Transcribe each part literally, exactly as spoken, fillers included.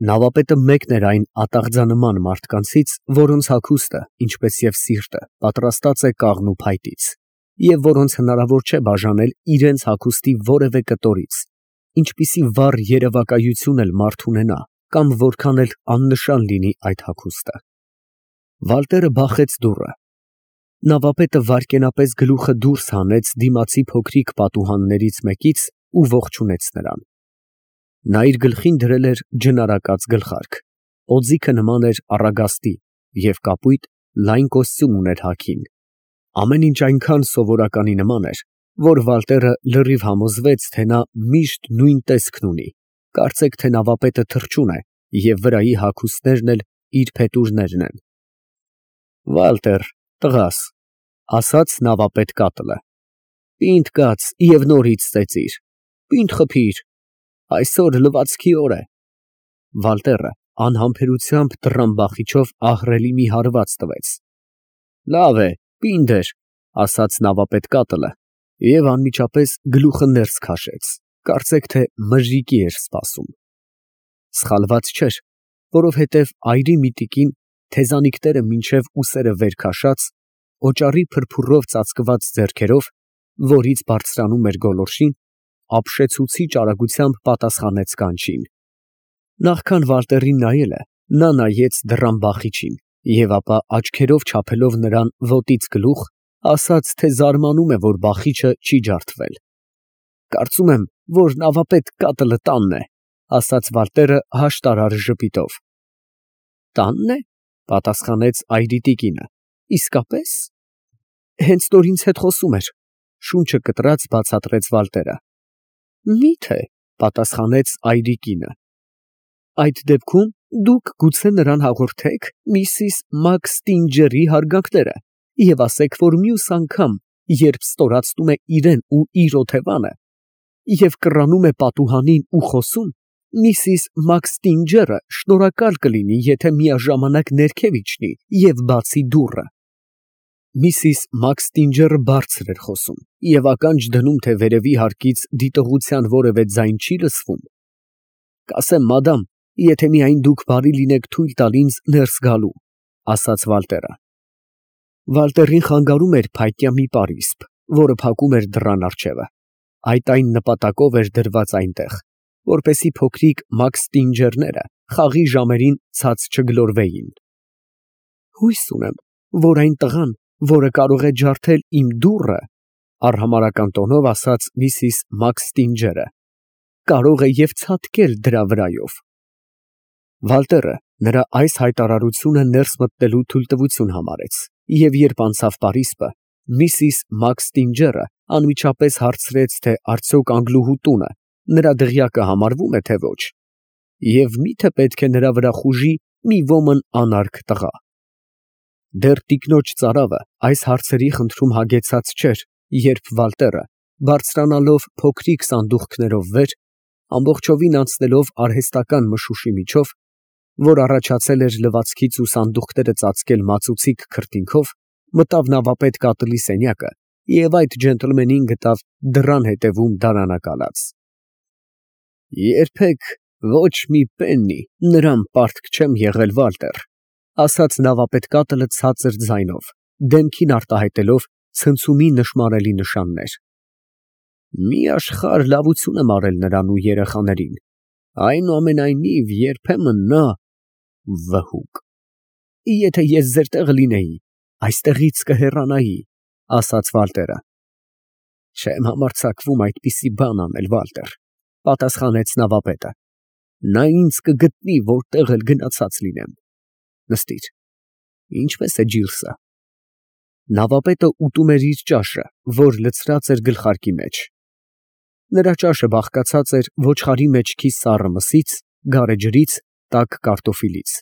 Նավապետը մեկն էր այն ատաղձանման մարդկանցից, որոնց հագուստը, ինչպես և սիրտը, պատրաստած է կաղնու փայտից, և որոնց հնարավոր չէ բաժանել իրենց հագուստի որևէ կտորից, ինչպիսի վառ երևակայություն էլ մարդ ունենա, կամ որքան էլ աննշան լինի այդ հագուստը։ Վալտերը բախեց դուռը։ Նավապետը վայրկենապես գլուխը դուրս հանեց դիմացի փոքրիկ պատուհաններից մեկից ու ողջունեց նրան։ Նա իր գլխին դրել էր ջնարակած գլխարկ, օձիքը նման էր առագաստի և կապույտ լայն կոստյում ուներ հագին։ Ամեն ինչ այնքան սովորականի նման էր, որ Վալտերը լրիվ համոզվեց, թե նա միշտ նույն տեսքն ունի, կարծեք թե նավապետը թռչուն է և վրայի հագուստներն էլ իր փետուրներն են։ ֊ Վալտեր, տղաս, ֊ ասաց նավապետ կատլը, ֊ պինդ կաց և նորից ծեծիր, պինդ խփիր, այսօր լվացքի օր է։ Վալտերը անհամբերությամբ դռան բախիչով ահռելի մի հարված տվեց։ ֊ Լավ է, պինդ էր, ֊ ասաց նավապետ կատլը և անմիջապես գլուխը ներս քաշեց, կարծեք թե մժիկի էր սպասում։ Սխալված չէր, որովհետև այրի միտիկին, թեզանիկները մինչև ուսերը վեր քաշած, օճառի փրփուրով ծածկված ձեռքերով, որից բարձրանում էր գոլորշին, ապշեցուցիչ արագությամբ պատասխանեց կանչին։ Նախքան Վալտերին նայելը, նա նայեց դռան բախիչին և ապա աչքերով չափելով նրան ոտից գլուխ, ասաց, թե զարմանում է, որ բախիչը չի ջարդվել։ Կարծում եմ, որ նավապետ կատլը տանն է, ֊ ասաց Վալտերը հաշտարար ժպիտով։ ֊ Տա՞նն է, ֊ պատասխանեց այրի տիկինը, ֊ իսկապե՞ս։ Հենց նոր ինձ հետ խոսում էր, ֊ շունչը կտրած բացատրեց Վալտերը։ ֊ Մի՞թե, ֊ պատասխանեց այրի կինը։ ֊ Այդ դեպքում դուք գուցե նրան հաղորդեք միսիս Մաքսթինջերի հարգանքները և ասեք, որ մյուս անգամ, երբ ստորացնում է իրան ու իր օթևանը և կռանում է պատուհանին ու խոսում, միսիս Մաքսթինջերը շնորհակալ կլինի, եթե միաժամանակ ներքև իջնի և բացի դուռը։ Միսիս Մաքսթինջերը բարձր էր խոսում և ականջ դնում, թե վերևի հարկից դիտողության որևէ ձայն չի լսվում։ Կասեմ, մադամ, եթե միայն դուք բարի լինեք թույլ տալ ինձ ներս գալու, ֊ ասաց Վալտերը։ Վալտերին խանգարում էր փայտյա մի պարիսպ, որը փակում էր դռան առջևը, այդ այն նպատակով էր դրված այնտեղ, որպեսզի փոքրիկ Մաքսթինջերները խաղի ժամերին ցած չգլորվեին։ Հույս ունեմ, որ այն տղան, որը կարող է ջարդել իմ դուռը, ֊ արհամարհական տոնով ասաց միսիս Մաքսթինջերը, ֊ կարող է և ցատկել դրա վրայով։ Վալտերը նրա այս հայտարարությունը ներս մտնելու թույլտվություն համարեց, և երբ անցավ պարիսպը, միսիս Մաքսթինջերը անմիջապես հարցրեց, թե արդյոք Անգլուհու տունը նրա դղյակը համարվո՞ւմ է, թե ոչ, և մի՞թե պետք է նրա վրա խուժի մի ոմն անարգ տղա։ Դեռ տիկնոջ ծարավը այս հարցերի խնդրում հագեցած չէր, երբ Վալտերը, բարձրանալով փոքրիկ սանդուղքներով վեր, ամբողջովին անցնելով արհեստական մշուշի միջով, որ առաջացել էր լվացքից ու սանդուղքները ծածկել մածուցիկ քրտինքով, մտավ նավապետ կատլի սենյակը և այդ ջենտլմենին գտավ դռան հետևում դարանակալած։ Երբեք ոչ մի պեննի նրան պարտք չեմ եղել, Վալտեր, ֊ ասաց նավապետ կատլը ցածր ձայնով, դեմքին արտահայտելով ցնցումի նշմարելի նշաններ։ Մի աշխարհ լավություն եմ արել նրան ու երեխաներին, այնուամենայնիվ երբեմն նա… վհուկ… Եթե ես ձեր տեղը լինեի, այստեղից կհեռանայի, ֊ ասաց Վալտերը։ Չեմ համարձակվում այդպիսի բան անել, Վալտեր, ֊ պատասխանեց նավապետը։ Նա ինձ կգտնի, որտեղ էլ գնացած լինեմ։ Նստիր, ինչպե՞ս է ջիրսը։ Նավապետը ուտում էր իր ճաշը, որ լցրած էր գլխարկի մեջ։ Նրա ճաշը բաղկացած էր ոչխարի մեջքի սառը մսից, գարեջրից, տաք կարտոֆիլից,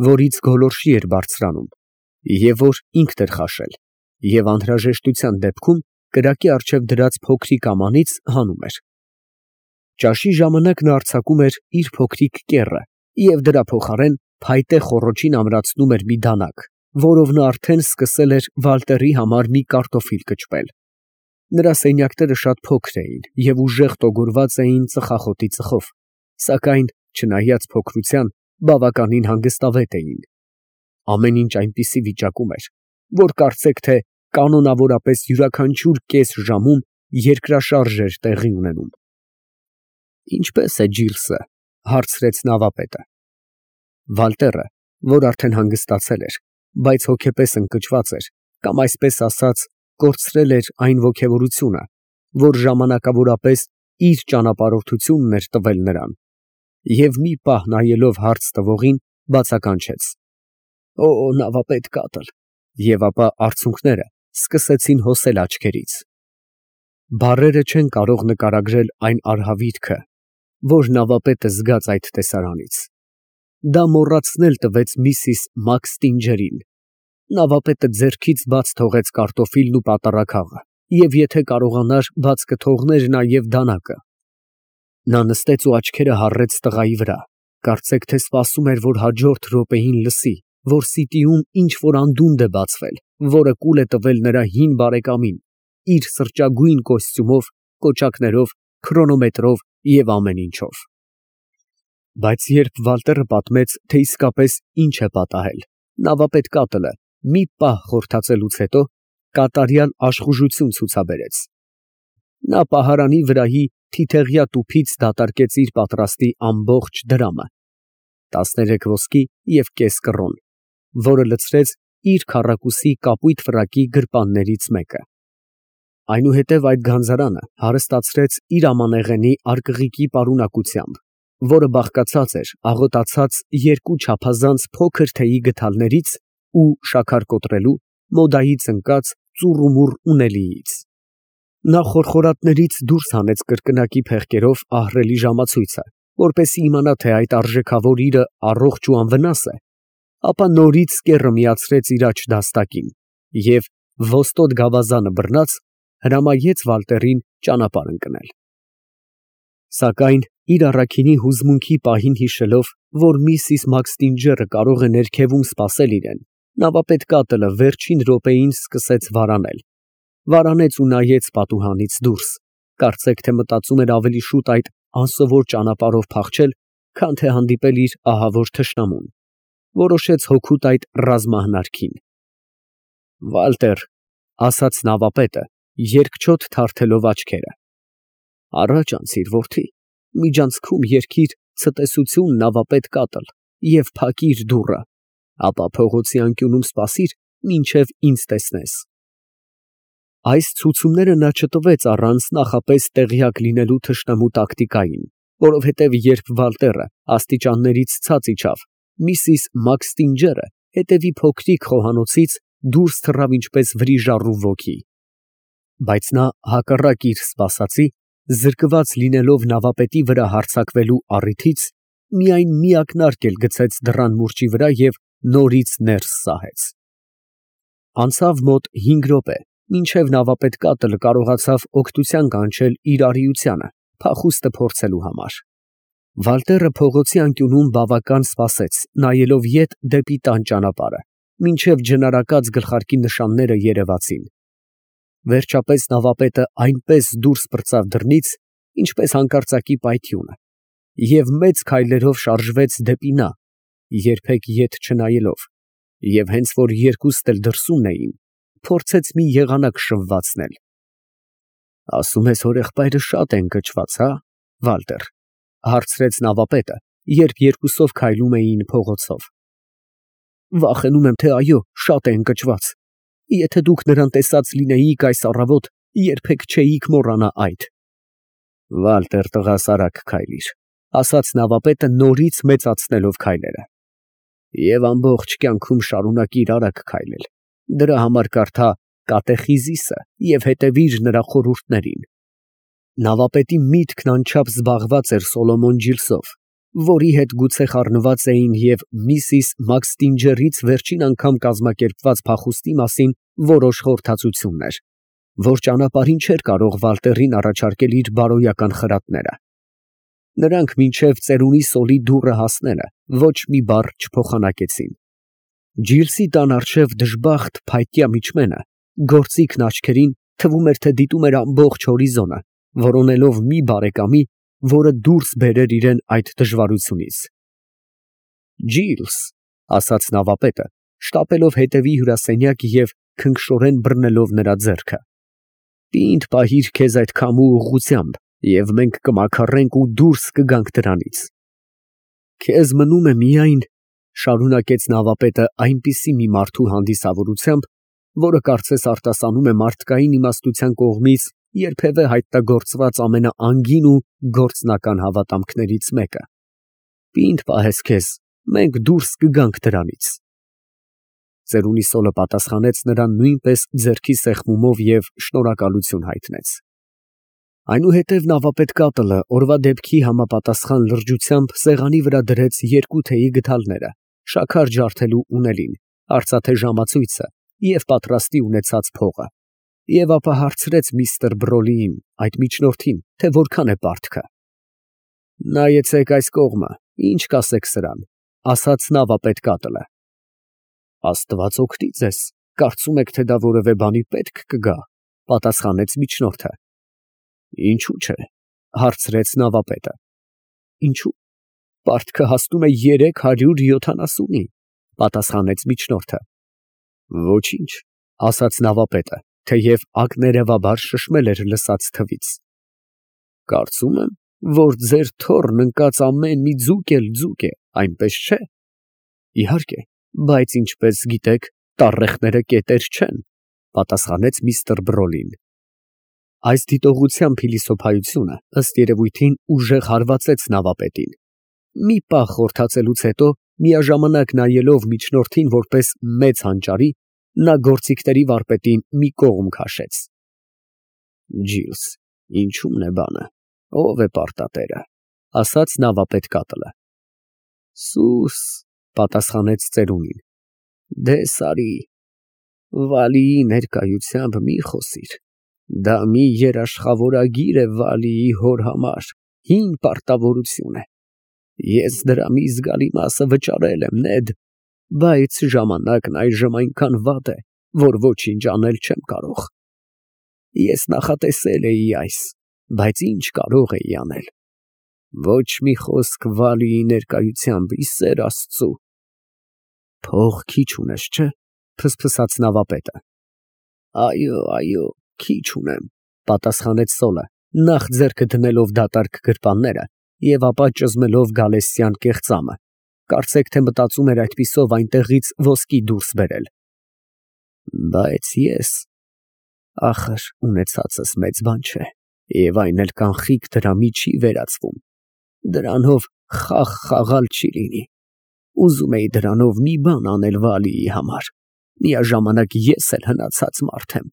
որից գոլորշի էր բարձրանում, և որ ինքն էր խաշել, և անհրաժեշտության դեպքում կրակի առջև դրած փոքրիկ ամանից հանում էր։ Ճաշի ժամանակ նա արձակում էր իր փոքրիկ կեռը և դրա փոխարեն փայտե խոռոչին ամրացնում էր մի դանակ, որով նա արդեն սկսել էր Վալտերի համար մի կարտոֆիլ կճպել։ Նրա սենյակները շատ փոքր էին և ուժեղ տոգորված էին ծխախոտի ծխով, սակայն, չնայած փոքրության, բավականին հանգստավետ էին։ Ամեն ինչ այնպիսի վիճակում էր, որ կարծեք թե կանոնավորապես յուրաքանչյուր կես ժամում երկրաշարժ էր տեղի ունենում։ Ինչպե՞ս է Ջիլսը, հարցրեց նավապետը։ Վալտերը, որ արդեն հանգստացել էր, բայց հոգեպես ընկճված էր, կամ այսպես ասած, կորցրել էր այն ոգևորությունը, որ ժամանակավորապես իր ճանապարհորդությունն էր տվել նրան, և մի պահ նայելով հարց տվողին, բացականչեց. «Օ, նավապետ Կատլ», և ապա արցունքները սկսեցին հոսել աչքերից։ Բառերը չեն կարող նկարագրել այն արհավիրքը, որ նավապետը զգաց այդ տեսարանից։ Դա մոռացնել տվեց միսիս Մաքստինջերին։ Նավապետը ձեռքից բաց թողեց կարտոֆիլն ու պատառաքաղը, և եթե կարողանար, բաց կթողներ նաև դանակը։ Նա նստեց ու աչքերը հառեց տղայի վրա, կարծեք թե սպասում էր, որ հաջորդ րոպեին լսի, որ սիտիում ինչ֊որ անդունդ է բացվել, որը կուլ է տվել նրա հին բարեկամին, իր սրճագույն կոստյումով, կոճակներով, քրոնոմետրով և ամեն ինչով։ Բայց երբ Վալտերը պատմեց, թե իսկապես ինչ է պատահել, նավապետ Կատլը մի պահ խորհրդածելուց հետո կատարյալ աշխուժություն ցուցաբերեց։ Նա պահարանի վրայի թիթեղյա տուփից դատարկեց իր պատրաստի ամբողջ դրամը, տասներեք ոսկի և կես կռոն, որը լցրեց իր քառակուսի կապույտ ֆրակի գրպաններից մեկը։ Այնուհետև այդ գանձարանը հարստացրեց իր ամանեղենի արկղիկի պարունակությամբ, որը բաղկացած էր աղոտացած երկու չափազանց փոքր թեյի գդալներից ու շաքար կոտրելու, մոդայից ընկած ծուռումուռ ունելիից։ Նա խորխորատներից դուրս հանեց կրկնակի փեղկերով ահռելի ժամացույցը, որպեսզի իմանա, թե այդ արժեքավոր իրը առողջ ու անվնաս է, ապա նորից կեռը միացրեց իր աջ դաստակին և, ոստոտ գավազանը բռնած, հրամայեց Վալտերին ճանապարհ ընկնել։ Սակայն իր առաքինի հուզմունքի պահին հիշելով, որ միսիս Մաքստինջերը կարող է ներքևում սպասել իրեն, նավապետ Կատլը վերջին րոպեին սկսեց վարանել, վարանեց ու նայեց պատուհանից դուրս, կարծեք թե մտածում էր ավելի շուտ այդ անսովոր ճանապարհով փախչել, քան թե հանդիպել իր ահավոր թշնամուն, որոշեց հօգուտ այդ ռազմահնարքին։ Վալտեր, ֊ ասաց նավապետը, երկչոտ թարթելով աչքերը, ֊ առաջ անցիր, որդի, միջանցքում երգիր ցտեսություն, նավապետ Կատլ, և փակիր դուռը, ապա փողոցի անկյունում սպասիր, մինչև ինձ տեսնես։ Այս ցուցումները նա չտվեց առանց նախապես տեղյակ լինելու թշնամու տակտիկային, որովհետև երբ Վալտերը աստիճաններից ցած իջավ, միսիս Մաքստինջերը հետևի փոքրիկ խոհանոցից դուրս թռավ ինչպես վրիժառու ոգի։ Բայց նա, հակառակ իր սպասածի, զրկված լինելով նավապետի վրա հարձակվելու առիթից, միայն մի ակնարկ էլ գցեց դռան մուրճի վրա և նորից ներս սահեց։ Անցավ մոտ հինգ րոպե, մինչև նավապետ Կատլը կարողացավ օգնության կանչել իր արիությանը, փախուստը փորձելու համար։ Վալտերը փողոցի անկյունում բավական սպասեց, նայելով ետ դեպի տան ճանապարհը, մինչև ջնարակած գլխարկի նշանները երևացին։ Վերջապես նավապետը այնպես դուրս պրծավ դռնից, ինչպես հանկարծակի պայթյունը, և մեծ քայլերով շարժվեց դեպի նա, երբեք ետ չնայելով, և հենց որ երկուստ էլ դրսումն էին, փորձեց մի եղանակ շվվացնել։ ֊ Ասում ես, հորեղբայրը շատ է ընկճված, հա՞, Վալտեր, ֊ հարցրեց նավապետը, երբ երկուսով քայլում էին փողոցով։ ֊ Վախենում եմ, թե այո, շատ է ընկճված։ Եթե դուք նրան տեսած լինեիք այս առավոտ, երբեք չէիք մոռանա այդ։ ֊ Վալտեր տղաս, արագ քայլիր, ֊ ասաց նավապետը նորից մեծացնելով քայլերը, և ամբողջ կյանքում շարունակիր արագ քայլել, դրա համար կարդա Կատեխիզիսը և հետևիր նրա խորհուրդներին։ Նավապետի միտքն անչափ զբաղված էր Սոլոմոն Ջիլսով, որի հետ գուցե խառնված էին և միսիս Մաքստինջերից վերջին անգամ կազմակերպված փախուստի մասին որոշ խորհրդածություններ, որ ճանապարհին չէր կարող Վալտերին առաջարկել իր բարոյական խրատները։ Նրանք մինչև ծերունի սոլի դուռը հասնելը ոչ մի բառ չփոխանակեցին։ Ջիլսի տան առջև դժբախտ փայտյա միջմենը, գործիքն աչքերին, թվում էր, թե դիտում էր ամբողջ հորիզոնը, որոնելով մի բարեկամի, որը դուրս բերեր իրան այդ դժվարությունից։ Ջիլս, ասաց նավապետը, շտապելով հետևի հյուրասենյակ և քնքշորեն բռնելով նրա ձեռքը, պինդ պահիր քեզ այդ քամու ուղղությամբ, և մենք կմաքարենք ու դուրս կգանք դրանից։ Քեզ մնում է միայն, շարունակեց նավապետը այնպիսի մի մարդու հանդիսավորությամբ, որը կարծես արտասանում է մարդկային իմաստության կողմից երբևէ հայտնագործված ամենաանգին ու գործնական հավատամքներից մեկը, պինդ պահես քեզ, մենք դուրս կգանք դրանից։ Ծերունի սոլը պատասխանեց նրան նույնպես ձեռքի սեղմումով և շնորհակալություն հայտնեց։ Այնուհետև նավապետ կատլը օրվա դեպքի համապատասխան լրջությամբ սեղանի վրա դրեց երկու թեյի գդալները, շաքար ջարդելու ունելին, արծաթե ժամացույցը և պատրաստի ունեցած փողը, և ապա հարցրեց միստր Բրոլիին, այդ միջնորդին, թե որքան է պարտքը։ Նայեցեք այս կողմը, ինչ կասեք սրան, ասաց նավապետ կատլը։ Աստված օգնի ձեզ, կարծում եք, թե դա որևէ բանի պետք կգա, պատասխանեց միջնորդը։ Ինչու՞ չէ, հարցրեց նավապետը։ Ինչու՞, պարտքը հասնում է երեք հարյուր յոթանասունի, պատասխանեց միջնորդը։ Ոչինչ, ասաց նավապետը, թեև ակներևաբար շշմել էր լսած թվից։ Կարծում եմ, որ ձեր թոռն ընկած ամեն մի ձուկ էլ ձուկ է, այնպես չէ։ Իհարկե, բայց ինչպես գիտեք, տառեխները կետեր չեն, պատասխանեց միստր Բրոլին։ Այս դիտողության փիլիսոփայությունը, ըստ երևույթին, ուժեղ հարվածեց նավապետին։ Մի պահ խորհրդածելուց հետո, միաժամանակ նայելով միջնորդին որպես մեծ հանճարի, նա գործիքների վարպետին մի կողմ քաշեց։ Ջիլս, ինչու՞մն է բանը, ով է պարտատերը, ասաց նավապետ կատլը։ Սուս, պատասխանեց ծերունին, դե սարի, Վալիի ներկայությամբ մի խոսիր, դա մի երաշխավորագիր է Վալիի հոր համար, հին պարտավորություն է, ես դրա մի զգալի մասը վճարել եմ, Նեդ, բայց ժամանակն այժմ այնքան վատ է, որ ոչինչ անել չեմ կարող։ Ես նախատեսել էի այս, բայց ինչ կարող էի անել։ Ոչ մի խոսք Վալիի ներկայությամբ, ի սեր Աստծու։ Փող քիչ ունես, չէ՞, ֆսֆսաց նավապետը։ Այո, այո, քիչ ունեմ, պատասխանեց սոլը, նախ ձեռքը դնելով դատարկ գրպանները և ապա ճզմելով գալեստյան կեղծամը, կարծեք թե մտածում էր այդպիսով այնտեղից ոսկի դուրս բերել։ Բայց ես, ախր, ունեցածս մեծ բան չէ, և այն էլ կանխիկ դրամի չի վերածվում, դրանով խաղ խաղալ չի լինի, ուզում էի դրանով մի բան անել Վալիի համար, միաժամանակ ես էլ հնացած մարդ եմ,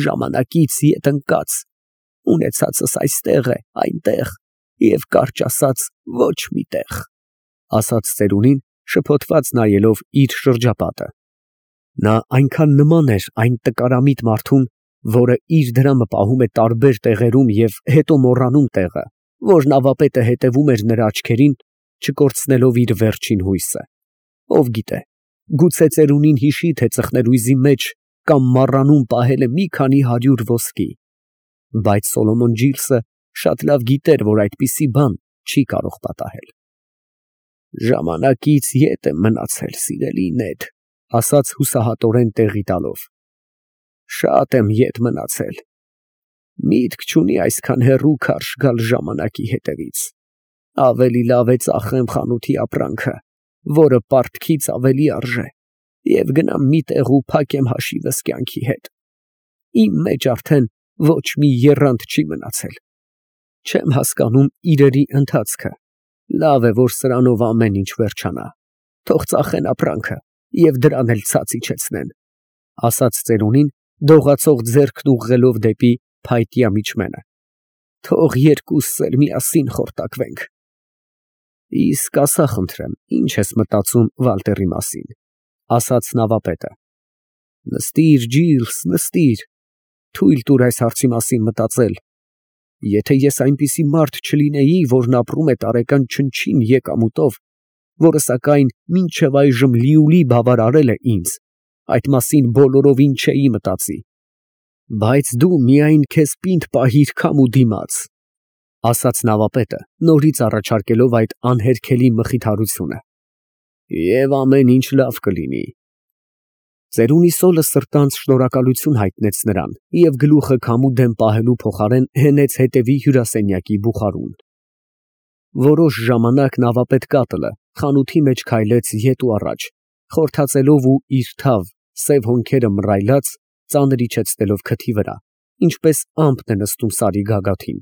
ժամանակից ետ ընկած, ունեցածս այստեղ է, այնտեղ, և կարճ ասած, ոչ մի տեղ, ասաց ծերունին, շփոթված նայելով իր շրջապատը։ Նա այնքան նման էր այն տկարամիտ մարդուն, որը իր դրամը պահում է տարբեր տեղերում և հետո մոռանում տեղը, որ նավապետը հետևում էր նրա աչքերին, չկորցնելով իր վերջին հույսը։ Ով գիտե, գուցե ծերունին հիշի, թե ծխներույզի մեջ կամ մառանում պահել է մի քանի հարյուր ոսկի, բայց Սոլոմոն Ջիլսը շատ լավ գիտեր, որ այդպիսի բան չի կարող պատահել։ Ժամանակից ետ եմ մնացել, սիրելի Նեդ, ասաց հուսահատորեն տեղի տալով։ Շատ եմ ետ մնացել։ Միտք չունի այսքան հեռու քարշ գալ ժամանակի հետևից։ Ավելի լավ է ծախեմ խանութի ապրանքը, որը պարտքից ավելի արժե, և գնամ մի տեղ ու փակեմ հաշիվս կյանքի հետ։ Իմ մեջ արդեն ոչ մի եռանդ չի մնացել։ Չեմ հասկանում իրերի ընթացքը։ Լավ է, որ սրանով ամեն ինչ վերջանա։ Թող ծախեն ապրանքը և դրան էլ ցած իջեցնեն, ասաց ծերունին, դողացող ձեռքն ուղղելով դեպի փայտյա միջմենը։ Թող երկուսս էլ միասին խորտակվենք։ Իսկ ասա խնդրեմ, ի՞նչ ես մտածում Վալտերի մասին, ասաց նավապետը։ Նստիր, Ջիլս, նստիր, թույլ տուր այս հարցի մասին մտածել։ Եթե ես այնպիսի մարդ չլինեի, որն ապրում է տարեկան չնչին եկամուտով, որը սակայն մինչև այժմ լիուլի բավարարել է ինձ, այդ մասին բոլորովին չէի մտածի։ Բայց դու միայն քեզ պինդ պահիր քամու դիմաց, ասաց նավապետը, նորից առաջարկելով այդ անհերքելի մխիթարությունը։ Եվ ամեն ինչ լավ կլինի։ Ծերունի սոլը սրտանց շնորհակալություն հայտնեց նրան և գլուխը քամու դեմ պահելու փոխարեն հենեց հետևի հյուրասենյակի բուխարուն։ Որոշ ժամանակ նավապետ կատլը խանութի մեջ քայլեց ետ ու առաջ, խորթացելով ու իր թավ, սև հոնքերը մռայլած, ծանր իջեցնելով քթի վրա, ինչպես ամպն է նստում սարի գագաթին։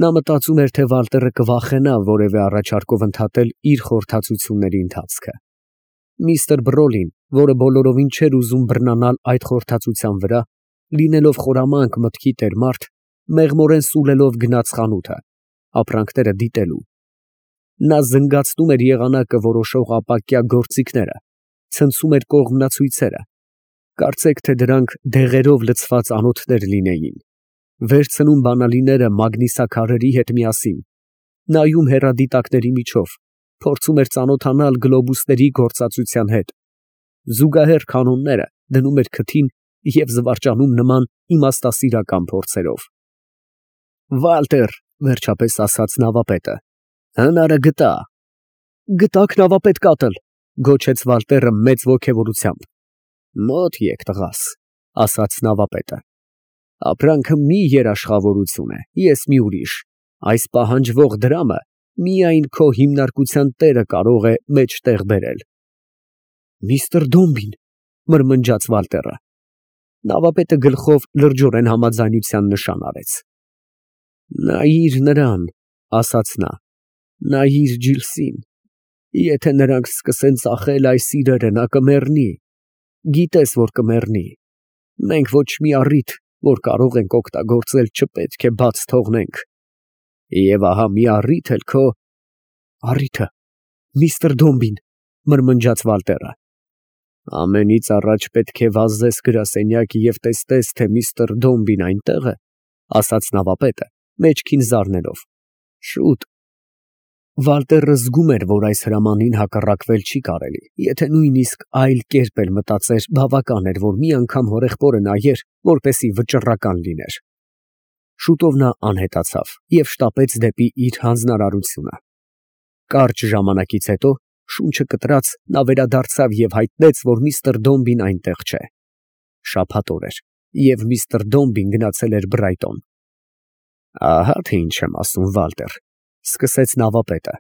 Նա մտածում էր, թե Վալտերը կվախենա որևէ առաջարկով ընդհատել իր խորհրդածությունների ընթացքը։ Միստր Բրոլին, որը բոլորովին չէր ուզում բռնանալ այդ խորհրդածության վրա, լինելով խորամանկ մտքի տերմարդ, մեղմորեն սուլելով գնաց խանութը, ապրանքները դիտելու։ Նա զնգացնում էր եղանակը որոշող ապակյա գործիքները, ցնցում էր կողմնացույցերը, կարծեք թե դրանք դեղերով լցված անոթներ լինեին, վերցնում բանալիները մագնիսաքարերի հետ միասին, նայում հեռադիտակների միջով, փորձում էր ծանոթանալ գլոբուսների գործածության հետ, զուգահեռ կանոնները դնում էր քթին և զվարճանում նման իմաստասիրական փորձերով։ Վալտեր, վերջապես ասաց նավապետը, հնարը գտա։ Գտաք նավապետ կատլ, գոչեց Վալտերը մեծ ոգևորությամբ։ Մոտ եկ տղաս, ասաց նավապետը։ Ապրանքը մի երաշխավորություն է, ես մի ուրիշ, այս պահանջվող դրամը միայն քո հիմնարկության տերը կարող է մեջտեղ բերել։ Միստր Դոմբին, մրմնջաց Վալտերը։ Նավապետը գլխով լրջորեն համաձայնության նշան արեց։ Նայիր նրան, ասաց նա, նայիր Ջիլսին, եթե նրանք սկսեն ծախել այս իրերը, նա կմեռնի, գիտես, որ կմեռնի, մենք ոչ մի առիթ, որ կարող ենք օգտագործել, չպետք է բաց թողնենք, և ահա մի առիթ էլ քո… Առիթը, միստր Դոմբին, մրմնջաց Վալտերը։ Ամենից առաջ պետք է վազես գրասենյակ և տեսնես, թե միստր Դոմբին այնտեղ է, ասաց նավապետը, մեջքին զարնելով։ Շուտ։ Վալտերը զգում էր, որ այս հրամանին հակառակվել չի կարելի, եթե նույնիսկ այլ կերպ էլ մտածեր, բավական էր, որ մի անգամ հորեղբորը նայեր, որպեսզի վճռական լիներ։ Շուտով նա անհետացավ և շտապեց դեպի իր հանձնարարությունը։ Կարճ ժամանակից հետո, շունչը կտրած, նա վերադարձավ և հայտնեց, որ միստր Դոմբին այնտեղ չէ։ Շաբաթ օր էր, և միստր Դոմբին գնացել էր Բրայտոն։ Ահա թե ինչ եմ ասում, Վալտեր, սկսեց նավապետը,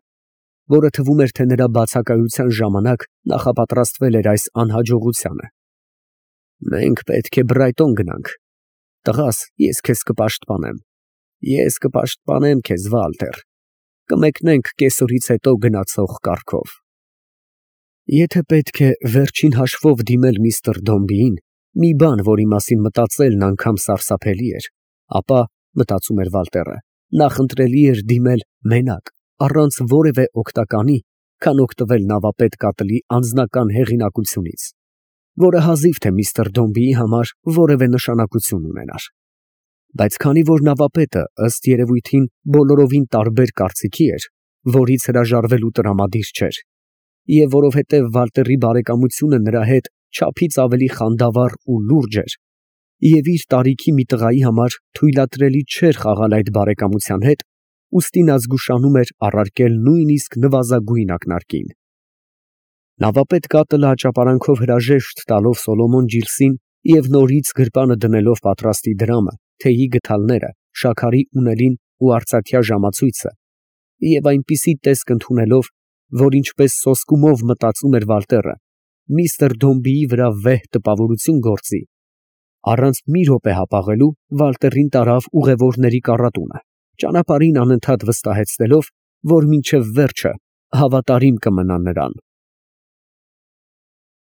որը թվում էր, թե նրա բացակայության ժամանակ նախապատրաստվել էր այս անհաջողությանը։ Մենք պետք է Բրայտոն գնանք։ Տղաս, ես քեզ կպաշտպանեմ։ Ես կպաշտպանեմ քեզ, Վալտեր։ Կմեկնենք կեսօրից հետո գնացող կառքով։ Եթե պետք է վերջին հաշվով դիմել միստր Դոմբիին, մի բան, որի մասին մտածելն անգամ սարսափելի էր, ապա, մտածում էր Վալտերը, նախընտրելի էր դիմել մենակ, առանց որևէ օգտականի, քան օգտվել նավապետ կատլի անձնական հեղինակությունից, որը հազիվ թե միստր Դոմբիի համար որևէ նշանակություն ունենար։ Բայց քանի որ նավապետը, ըստ երևույթին, բոլորովին տարբեր կարծիքի էր, որից հրաժարվելու տրամադիր չէր, և որովհետև Վալտերի բարեկամությունը նրա հետ չափից ավելի խանդավառ ու լուրջ էր, և իր տարիքի մի տղայի համար թույլատրելի չէր խաղալ այդ բարեկամության հետ, ուստի նա զգուշանում էր առարկել նույնիսկ նվազագույն ակնարկին։ Նավապետ կատլը աճապարանքով հրաժեշտ տալով Սոլոմոն Ջիլսին և նորից գրպանը դնելով պատրաստի դրամը, թեյի գդալները, շաքարի ունելին ու արծաթյա ժամացույցը, և այնպիսի տեսք ընդունելով, որ ինչպես սոսկումով մտածում էր Վալտերը, միստր Դոմբիի վրա վեհ տպավորություն գործի, առանց մի րոպե հապաղելու Վալտերին տարավ ուղևորների կառատունը, ճանապարհին անընդհատ վստահեցնելով, որ մինչև վերջը հավատարիմ կմնա նրան։